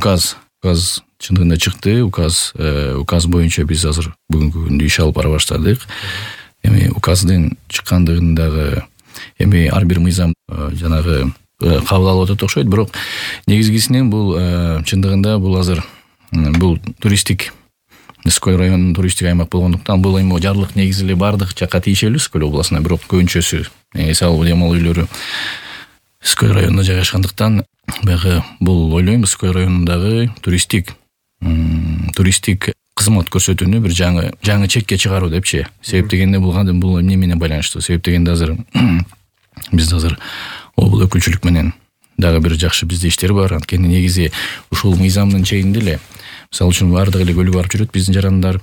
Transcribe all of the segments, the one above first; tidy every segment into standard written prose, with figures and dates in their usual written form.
указ чындыгында чыкты. Указ боюнча биз азыр бүгүнкү күндө иш алып бара баштадык. Эми указдын чыккандыгын дагы эми ар бир мыйзам жанагы кабыл алып атат окшойт. Бирок негизгисинен бул чындыгында бул азыр бул туристтик Скөл районунун туристтик аймак болгондуктан бул эми жарлык негизи эле бардык жакка тиешелүү Скөл областына. Бирок көбүнчөсү эс алуу дем алуу үйлөрү Скөл районунда жайгашкандыктан баягы бул ойлойм Скөл районундагы туристтик кызмат көрсөтүүнү бир жаңы чекке чыгаруу депчи. Себеп дегенде бул эмне менен байланыштуу? Себеп дегенде азыр биз азыр облуу өкүлчүлүк менен дагы бир жакшы бизде иштер бар. Анткени негизи ушул мыйзамдын чегинде эле мисалы үчүн баардык эле көлгө барып жүрөт биздин жарандар.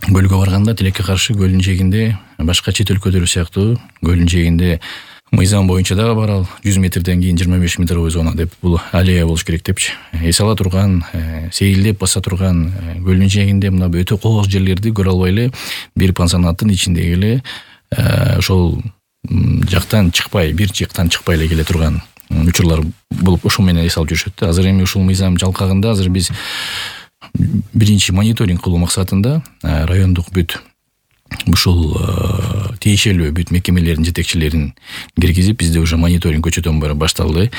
Көлгө барганда тилекке каршы көлдүн жээгинде башка чет өлкөлөр сыяктуу көлдүн жээгинде мыйзам боюнча дагы бар ал 100 метрден кийин 25 метровой зона деп бул аллея болуш керек депчи. Эс ала турган, сейилдеп баса турган көлдүн жээгинде мына өтө кооз жерлерди көрө албай эле бир пансионаттын ичиндеги эле ошол жактан чыкпай эле келе турган учурлар болуп ошол менен эс алып жүрүшөт да. Азыр эми ушул мыйзам жалкагында азыр биз биринчи мониторинг кылуу максатында райондук бүт ушул тиешелүү бүт мекемелердин жетекчилерин киргизип бизде уже мониторинг көчөтөн баары башталды.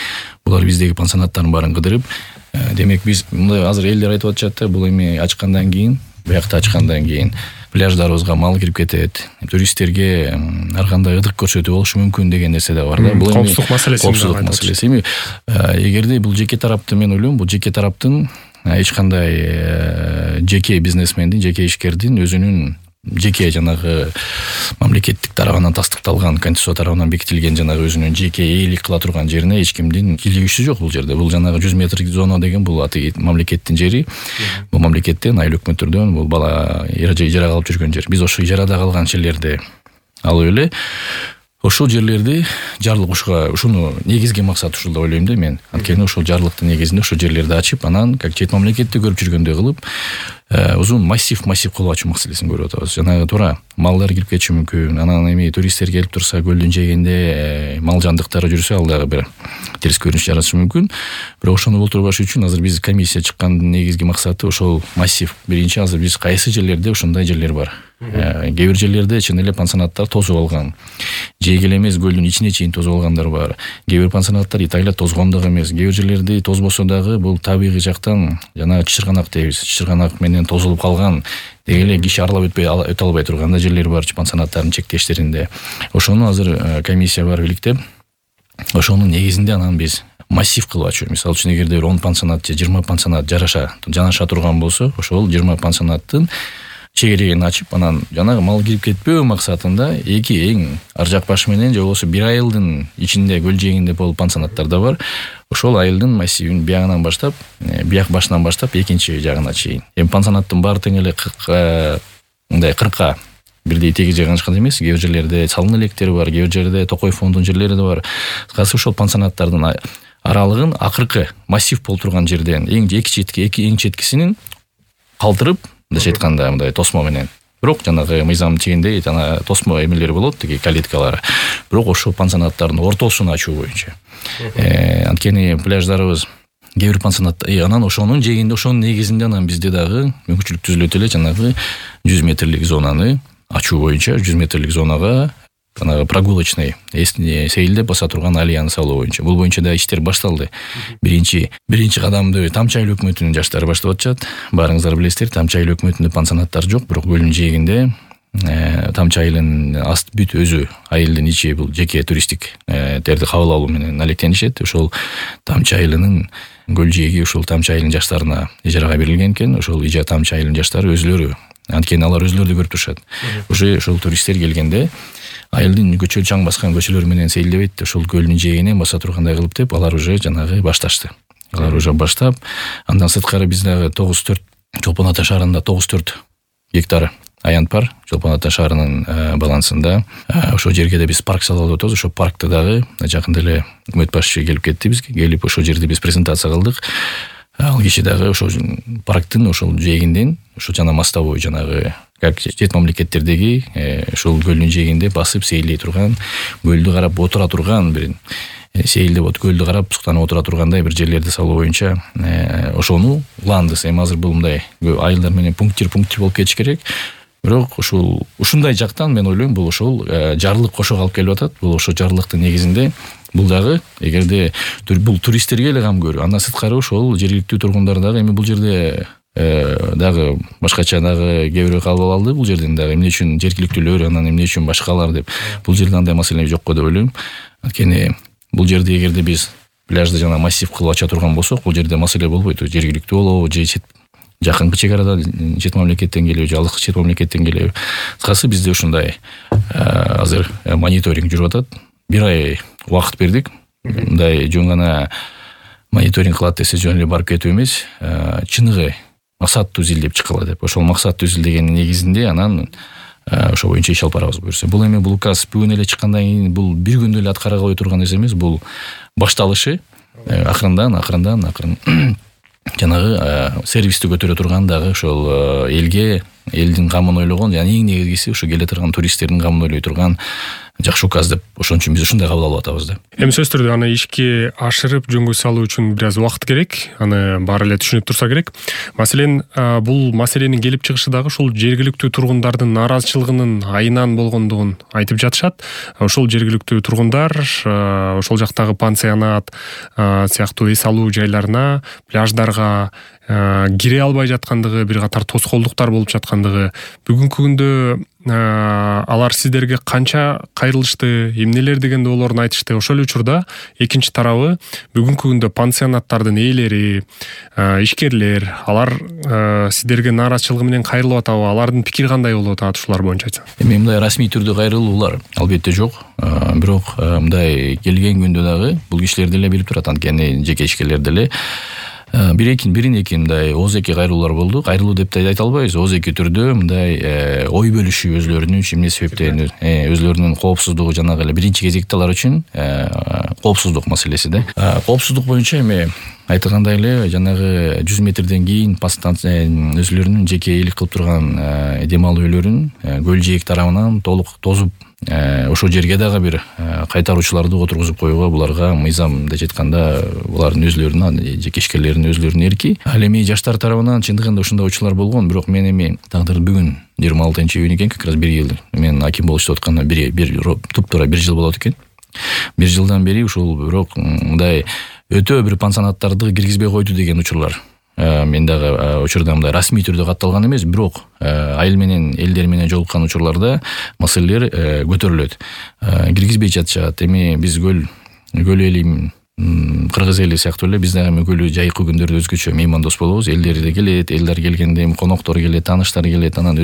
Булар биздеги пансионаттардын баарын кыдырып, демек биз мындай азыр элдер айтып атышат да, бул эми ачкандан кийин, биякта ачкандан кийин пляждарыбызга мал кирип кетет, туристтерге ар кандай ыдык көрсөтүү болушу мүмкүн деген нерсе да бар да. Бул эми коопсуздук маселеси. Эми эгерде бул жеке тараптын, мен ойлойм, бул жеке тараптын эч кандай жеке бизнесмендин, жеке ишкердин өзүнүн жеке жанагы мамлекеттик тарабынан тастыкталган, конституция тарабынан бекитилген жанагы өзүнүн жеке ээлик кыла турган жерине эч кимдин кийлигиши жок бул жерде. Бул жанагы 100 метр зона деген бул мамлекеттин жери. Бул мамлекеттен, айыл өкмөттөрдөн бул бала ижарага алып жүргөн жер. Биз ошо ижарада калган жерлерди алып эле ошол жерлерди жарлык ушуну негизги максат ушул деп ойлойм да мен. Анткени ошол жарлыктын негизинде ошол жерлерди ачып, анан как чет мамлекетте көрүп жүргөндөй кылып, узун массив кылып ачуу маселесин көрүп атабыз. Жанагы туура малдар кирип кетиши мүмкүн. Анан эми туристтер келип турса, көлдүн жээгинде мал жандыктары жүрсө, ал дагы бир терс көрүнүш жаратышы мүмкүн. Бирок ошону болтурбаш үчүн азыр биз комиссия чыккандын негизги максаты ошол массив. Биринчи азыр биз кайсы жерлерде ушундай жерлер бар. Кээ бир жерлерде чын эле пансионаттар тозуп алган. Жээге эле эмес, көлдүн ичине чейин тозуп алгандар бар. Кээ бир пансионаттар итайлап тозгон дагы эмес. Кээ бир жерлерде тозбосо дагы бул табигый жактан жана чычырганак дейбиз. Чычырганак менен тозулуп калган, деги эле киши арлап өтө албай турган жерлер бар пансионаттардын чектештеринде. Ошону азыр комиссия бар иликтеп, ошонун негизинде анан биз массив кылып ачуу. Мисалы үчүн эгерде 10 пансионат же 20 пансионат жанаша турган болсо, ошол 20 пансионаттын чегерегин ачып, анан жанагы мал кирип кетпөө максатында эки эң ар жак баш менен же болбосо бир айылдын ичинде көл жээгинде болуп пансионаттар да бар. Ошол айылдын массивин биягынан баштап, бияк башынан баштап экинчи жагына чейин. Эми пансионаттын баары тең эле 40 бирдей тегиз жайгашкан эмес. Кээ бир жерлерде салын электери бар, кээ бир жерде Токой фондунун жерлери да бар. Кызыкчы ошол пансионаттардын аралыгын акыркы массив болуп турган жерден эң четкисинин калтырып, мындайча айтканда, мындай тосмо менен. Бирок жанагы мыйзам чегинде жана тосмо эмелери болот, тиги калиткалары. Бирок ошол пансионаттардын ортосун ачуу боюнча. Анткени пляждарыбыз кээ бир пансионат, анан ошонун жээгинде, ошонун негизинде анан бизде дагы мүмкүнчүлүк түзүлөт эле жанагы 100 метрлик зонаны ачуу боюнча, 100 метрлик зонага жанагы прогулочный сейилдеп баса турган аллеяны салуу боюнча. Бул боюнча да иштер башталды. Биринчи кадамды Тамчы айыл өкмөтүнүн жаштары баштап атышат. Баарыңыздар билесиздер, Тамчы айыл өкмөтүндө пансионаттар жок, бирок көлдүн жээгинде Тамчы айылынын бүт өзү айылдын ичи бул жеке туристтик терди кабыл алуу менен алектенишет. Ошол Тамчы айылынын көл жээги ушул Тамчы айылынын жаштарына ижарага берилген экен. Ошол Тамчы айылынын жаштары өзүлөрү, анткени алар өзүлөрү көрүп турушат. Ошол туристтер келгенде айылдын чаң баскан көчөлөр менен сейилдебейт, ошол көлдүн жээгинен баса тургандай кылып деп, алар уже жанагы башташты. Алар уже баштап, андан сырткары биз дагы Чолпон Ата шаарында 94 гектар аянт бар. Чолпон Ата шаарынын балансында. Ошол жерге да биз парк салып атабыз. Ошол паркты дагы жакында эле өкмөт башчысы келип кетти бизге. Келип ошол жерде биз презентация кылдык. Ал киши дагы ошол парктын ошол жээгинден, ошол жана мостовой жанагы как чет мамлекеттердеги ошол көлдүн жээгинде басып сейилдей турган, көлдү карап отура турган бир сейилдеп көлдү карап суктанып отура тургандай бир жерлерди салуу боюнча ошону уландыбыз. Эми азыр бул мындай айылдар менен пунктир болуп кетиш керек. Бирок ушундай жактан мен ойлойм бул ошол жарлык кошо алып келип атат. Бул ошо жарлыктын негизинде бул дагы эгерде бул туристтерге эле кам көрүү, андан сырткары ошол жергиликтүү тургундар дагы эми бул жерде дагы башкача дагы кээ бирөө кабыл алды. Бул жерден дагы эмне үчүн жергиликтүүлөр, анан эмне үчүн башкалар деп. Бул жерде андай маселе жокко деп ойлойм. Анткени бул жерде эгерде биз пляжды жана массив кылып ача турган болсок, бул жерде маселе болбойт. Жергиликтүү болобу же жакынкы чек арада чет мамлекеттен келеби, же алыскы чет мамлекеттен келеби. Кыскасы бизде ушундай азыр мониторинг жүрүп атат. Бир ай убакыт бердик. Мындай жөн гана мониторинг кылат десе жөн эле барып кетүү эмес, чыныгы максаттуу изилдеп чыккыла деп. Ошол максаттуу изилдегендин негизинде анан ошо боюнча иш алып барабыз буюрса. Бул эми бул указ бүгүн эле чыккандан кийин бул бир күндө эле аткара кое турган нерсе эмес. Бул башталышы акырындан жанагы сервисти көтөрө турган дагы ошол элдин камын ойлогон жана эң негизгиси ошо келе турган туристтердин камын ойлой турган жакшы указ деп. Ошон үчүн биз ушундай кабыл алып атабыз да. Эми сөзсүз түрдө аны ишке ашырып жөнгө салуу үчүн бир аз убакыт керек. Аны баары эле түшүнүп турса керек. Маселен, бул маселенин келип чыгышы дагы ушул жергиликтүү тургундардын нааразычылыгынын айынан болгондугун айтып жатышат. Ошол жергиликтүү тургундар ошол жактагы пансионат сыяктуу эс алуу жайларына, пляждарга кире албай жаткандыгы, бир катар тоскоолдуктар болуп жаткандыгы, бүгүнкү күндө алар сиздерге канча кайрылышты, эмнелер деген доолорун айтышты. Ошол учурда экинчи тарабы бүгүнкү күндө пансионаттардын ээлери, ишкерлер, алар сиздерге нааразычылыгы менен кайрылып атабы? Алардын пикири кандай болуп атат ушулар боюнча айтсаң? Эми мындай расмий түрдө кайрылуулар албетте жок. Бирок мындай келген күндө дагы бул кишилер деле билип турат, анткени жеке ишкерлер деле бирин-эки мындай ооз-эки кайрылуулар болду. Кайрылуу деп да айта албайбыз. Ооз-эки түрдө мындай ой бөлүшүү өзлөрүнүн эмне себептен өзлөрүнүн коопсуздугу жанагы эле биринчи кезекте алар үчүн коопсуздук маселеси да. Коопсуздук боюнча эми айтылгандай эле жанагы 100 метрден кийин өзлөрүнүн жеке ээлик кылып турган дем алуу үйлөрүн көл жээк тарабынан толук тозуп ошол жерге дагы бир кайтаруучуларды отургузуп коюуга буларга мыйзам деп айтканда булардын өзлөрүнүн жеке ишкерлердин өзлөрүнүн эрки. Ал эми жаштар тарабынан чындыгында ушундай учурлар болгон. Бирок мен эми тагдыр бүгүн 26-июнь экен, как раз 1 жыл мен аким болуп иштеп атканда туп-туура 1 жыл болот экен. 1 жылдан бери ушул бирок мындай өтө бир пансионаттарды киргизбей койду деген учурлар мен дагы учурда мындай расмий түрдө катталган эмес, бирок айыл менен элдер менен жолуккан учурларда маселелер көтөрүлөт. Киргизбей жатышат. Эми биз көл эли кыргыз эли сыяктуу эле биз дагы көлү жайкы күндөрдө өзгөчө меймандос болобуз. Элдер да келет, элдер келгенде коноктор келет, тааныштар келет, анан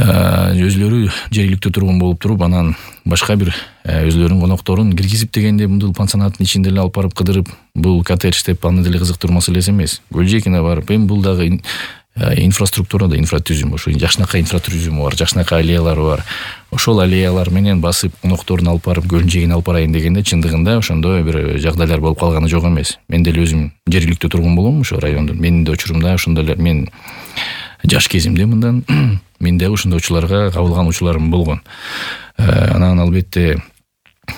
өзлөрү жергиликтүү тургун болуп туруп, анан башка бир өзлөрүнүн конокторун киргизип дегенде бул пансионаттын ичинде эле алып барып кыдырып, бул коттедж деп аны деле кызыктыруу маселеси эмес. Көл жээгине барып, эми бул дагы инфраструктурада инфратүзүм, ошо жакшынакай инфратүзүмү бар, жакшынакай аллеялары бар. Ошол аллеялар менен басып конокторун алып барып көлдүн жээгине алып барайын дегенде чындыгында ошондой бир жагдайлар болуп калганы жок эмес. Мен деле өзүм жергиликтүү тургун болом ошо райондун. Менин да учурумда ошондой эле мен жаш кезимде мындан мен дагы ушундай учурларга кабылган учурларым болгон. Анан албетте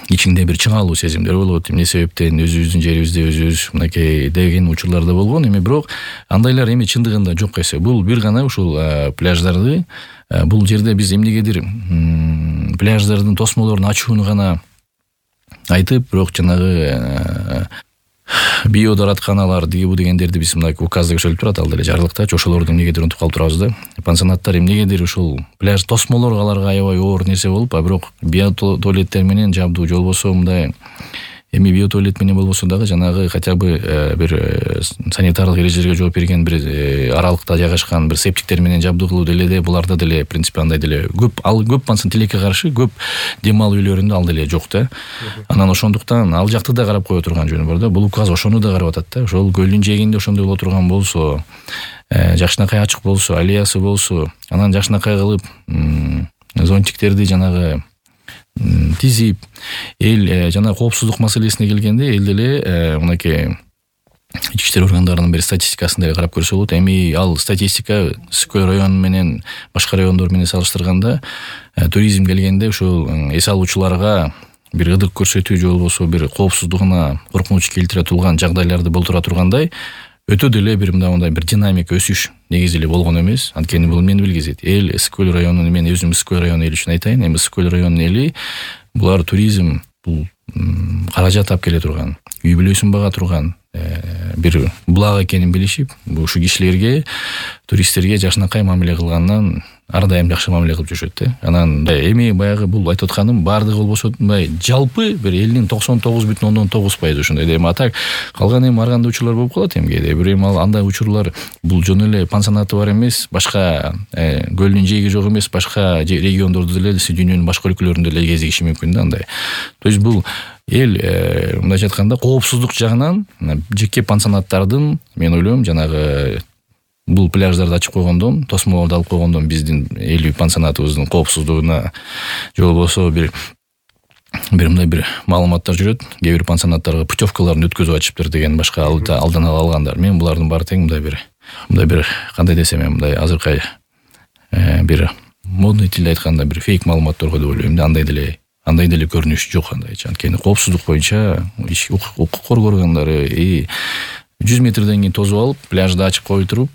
ичиңде бир чыңалуу сезимдер болот. Эмне себептен өзүбүздүн жерибизде өзүбүз мынакей деген учурлар да болгон. Эми бирок андайлар эми чындыгында жок эсе. Бул бир гана ушул пляждарды бул жерде биз эмнегедир пляждардын тосмолорун ачууну гана айтып, бирок жанагы биодоратканалар бу дегендерди биз мына указда көчөрүлүп турат, ал деле жарлыктачы, ошолорду эмнегедир унутуп калып турабыз да. Пансионаттар эмнегедир ушул пляж тосмолор аларга аябай оор нерсе болуп, бирок биотуалеттер менен жабдуу же болбосо мындай эми биотуалет менен болбосо дагы жанагы хотя бы бир санитарлык эрежелерге жооп берген бир аралыкта жайгашкан бир септиктер менен жабдуу кылуу деле буларда деле принципе андай деле көп пансион тилекке каршы көп дем алуу үйлөрүндө ал деле жок да. Анан ошондуктан ал жакты да карап кое турган жөнү бар да. Бул указ ошону да карап атат да. Ошол көлдүн жээгинде ошондой боло турган болсо, жакшынакай ачык болсо, аллеясы болсо, анан жакшынакай кылып зонтиктерди жанагы тизип, эл жана коопсуздук маселесине келгенде эл деле мынакей ички иштер органдарынын бир статистикасын деле карап көрсө болот. Эми ал статистика Ысыккөл району менен башка райондор менен салыштырганда туризм келгенде ушул эс алуучуларга бир ыдык көрсөтүү же болбосо бир коопсуздугуна коркунуч келтире турган жагдайларды болтура тургандай өтө деле бир мындай бир динамика өсүш негизи эле болгон эмес. Анткени бул мени билгизет. Эл Ысык көл районунун, мен өзүм Ысык көл районунун эли үчүн айтайын, эми Ысык көл районунун эли булар туризм, бул каражат тап келе турган, үй бүлөсүн бага турган бир булак экенин билишип, ушу кишилерге, туристтерге жакшынакай мамиле кылгандан ар дайым жакшы мамиле кылып жүрүшөт да. Анан эми баягы бул айтып атканым баардыгы болбосо мындай жалпы бир элдин 99,9% ушундай. Эми атак калган эми ар кандай учурлар болуп калат эми кээде. Бир эми ал андай учурлар бул жөн эле пансионаты бар эмес, башка көлдүн жээги жок эмес, башка региондордо деле дүйнөнүн башка өлкөлөрүндө деле кезигиши мүмкүн да андай. То есть бул эл мындайча айтканда коопсуздук жагынан жеке пансионаттардын, мен ойлойм, жанагы бул пляждарды ачып койгондон, тосмолорду алып койгондон биздин эл пансионатыбыздын коопсуздугуна же болбосо бир мындай бир маалыматтар жүрөт. Кээ бир пансионаттарга путевкаларын өткөзүп ачыптыр деген башка алдан ала алгандар. Мен булардын баары тең мындай бир кандай десем, мындай азыркы бир модный тилде айтканда бир фейк маалыматтарга деп ойлойм да. Андай деле көрүнүш жок андайча. Анткени коопсуздук боюнча укук коргоо органдары 100 метрден кийин тосуп алып, пляжды ачып кое туруп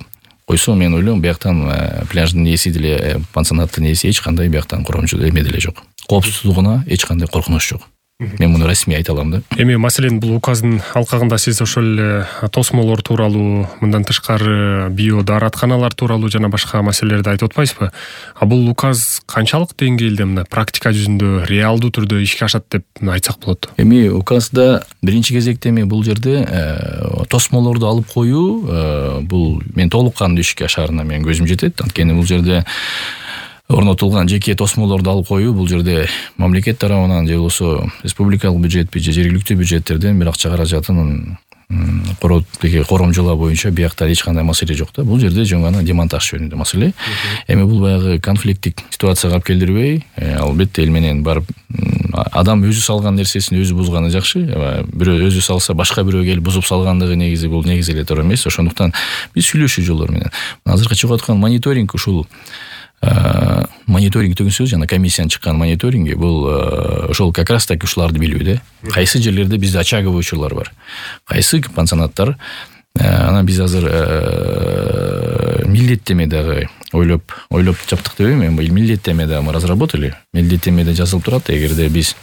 койсо, мен ойлойм, бияктан пляждын ээси деле, пансионаттын ээси эч кандай бияктан коромчу эме деле жок. Коопсуздугуна эч кандай коркунуч жок. Мен муну расмий айта алам да. Эми маселен бул указдын алкагында сиз ошол эле тосмолор тууралуу, мындан тышкары био дааратканалар тууралуу жана башка маселелерди айтып атпайсызбы? А бул указ канчалык деңгээлде мына практика жүзүндө реалдуу түрдө ишке ашат деп айтсак болот? Эми указда биринчи кезекте эми бул жерде тосмолорду алып коюу, бул мен толук кандуу ишке ашаарына мен көзүм жетет. Анткени бул жерде орнотулган жеке тосмолорду алып коюу, бул жерде мамлекет тарабынан же болбосо республикалык бюджетпи же жергиликтүү бюджеттерден бир акча каражатын коромжолоо боюнча биякта эч кандай маселе жок да. Бул жерде жөн гана демонтаж жөнүндө маселе. Эми бул баягы конфликттик ситуацияга алып келдирбей, албетте эл менен барып адам өзү салган нерсесин өзү бузганы жакшы. Бирөө өзү салса, башка бирөө келип бузуп салгандыгы негизи бул негизи эле туура эмес. Ошондуктан биз сүйлөшүү жолдору менен азыркы чыгып аткан мониторинг, ушул мониторинг дегенсөз жана комиссиянын чыккан мониторинги, бул ошол как раз таки ушуларды билүү да. Кайсы жерлерде бизде очаговый учурлар бар, кайсы пансионаттар, анан биз азыр милдеттеме дагы ойлоп чаптык дебейм, эми милдеттеме дагы мы разработали. Милдеттемеде жазылып турат, эгерде биз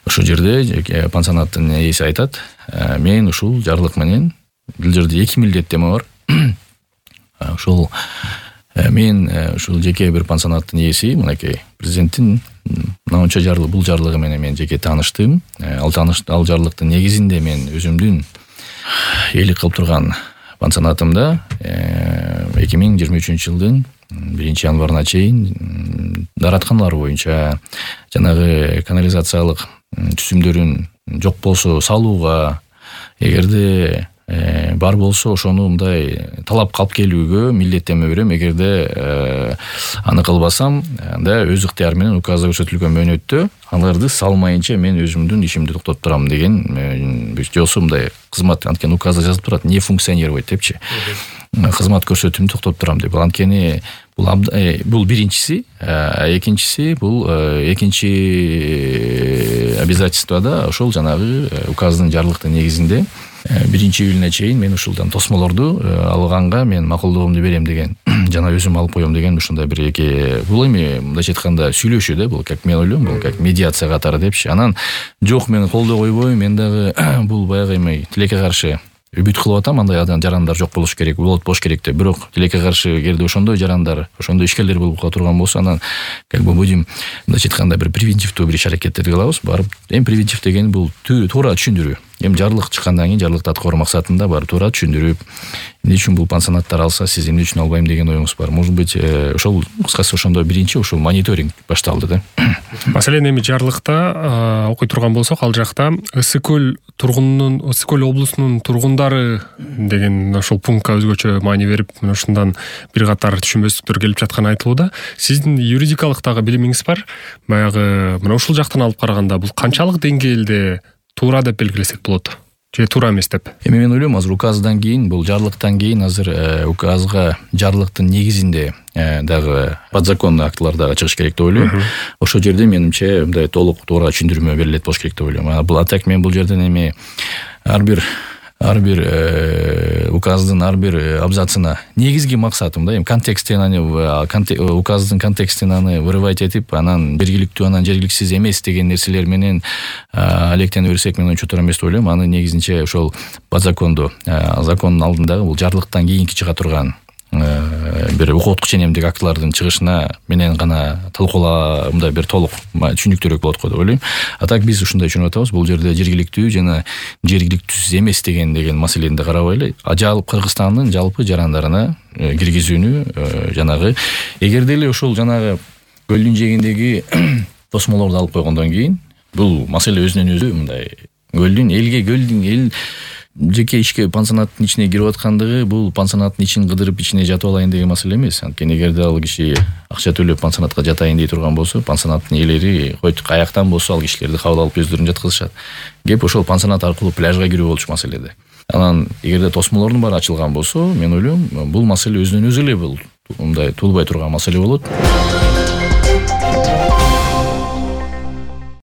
ошол жерде пансионаттын ээси айтат, мен ушул жарлык менен, бул жерде 2 милдеттеме бар. Ошол мен ушул жеке бир пансионаттын ээси, мынакей президенттин мынанча бул жарлыгы менен мен жеке тааныштым. Ал жарлыктын негизинде мен өзүмдүн ээлик кылып турган пансионатымда 2023 жылдын 1-январына чейин дааратканалар боюнча жанагы канализациялык түсүмдөрүн жок болсо салууга, эгерде бар болсо ошону мындай талап калып келүүгө милдеттеме берем. Эгерде аны кылбасам, анда өз ыктыяры менен указда көрсөтүлгөн мөөнөттө аларды салмайынча мен өзүмдүн ишимди токтотуп турам деген жосу мындай кызмат. Анткени указда жазылып турат, не функционировать депчи, кызмат көрсөтүүмдү токтотуп турам деп. Анткени бул биринчиси, экинчиси бул экинчи обязательствода ошол жанагы указдын жарлыктын негизинде 1-июлуна чейин мен ушулдан тосмолорду алганга мен макулдугумду берем деген, жана өзүм алып коем деген ушундай бир эки, бул эми мындайча айтканда сүйлөшүү да, бул как мен ойлойм, бул как медиация катары депчи. Анан жок, мен колдой койбойм, мен дагы бул баягы эми тилекке каршы үбүт кылып атам, андай жарандар жок болуш керек, болуш керек деп. Бирок тилекке каршы эгерде ошондой жарандар, ошондой ишкерлер болуп турган болсо, анан как бы будем мындайча айтканда бир превентивдүү бир иш-аракеттерди кылабыз. Барып, эми превентив деген бул туура түшүндүрүү. Эми жарлык чыккандан кийин жарлыкты аткаруу максатында барып туура түшүндүрүп, эмне үчүн бул пансионаттар алса, сиз эмне үчүн албайм деген оюңуз бар. Может быть, ошол кыскасы ошондой биринчи ошол мониторинг башталды да. Маселен, эми жарлыкта окуй турган болсок, ал жакта Ысык көл облусунун тургундары деген ошол пунктка өзгөчө маани берип, мына ушундан бир катар түшүнбөстүктөр келип жатканы айтылууда. Сиздин юридикалык дагы билимиңиз бар. Баягы мына ушул жактан алып караганда бул канчалык деңгээлде туура деп белгилесек болот? же туура эмес деп? Эми мен ойлойм азыр указдан кийин, бул жарлыктан кийин азыр указга жарлыктын негизинде дагы подзаконный актылар дагы чыгыш керек деп ойлойм. Ошол жерде менимче мындай толук туура түшүндүрмө берилет болуш керек деп ойлойм. Бул атак мен бул жерден эми ар бир указдын ар бир абзацына негизги максатым да эми контексттен указдын контекстин аны вырывать этип, анан жергиликтүү, анан жергиликсиз эмес деген нерселер менен алектене берсек, мен туура эмес деп ойлойм. Аны негизинче ошол подзакондуу, закондун алдындагы бул жарлыктан кийинки чыга турган бир окуттук ченемдик актылардын чыгышына менен гана талкуулаа, мындай бир толук түшүнүктүүрөөк болот го деп ойлойм. А так биз ушундай түшүнүп атабыз, бул жерде жергиликтүү жана жергиликтүүсүз эмес деген маселени да карабайлы, Кыргызстандын жалпы жарандарына киргизүүнү, жанагы эгерде эле ошол жанагы көлдүн жээгиндеги тосмолорду алып койгондон кийин бул маселе өзүнөн өзү мындай көлдүн эл жеке ишке пансионаттын ичине кирип аткандыгы бул пансионаттын ичин кыдырып ичине жатып алайын деген маселе эмес. Анткени эгерде ал киши акча төлөп пансионатка жатайын дей турган болсо, пансионаттын ээлери койт каяктан болсо ал кишилерди кабыл алып өздөрүн жаткызышат. Кеп ошол пансионат аркылуу пляжга кирүү болчу маселеде. Анан эгерде тосмолордун баары ачылган болсо, мен ойлойм бул маселе өзүнөн өзү эле бул мындай туулбай турган маселе болот.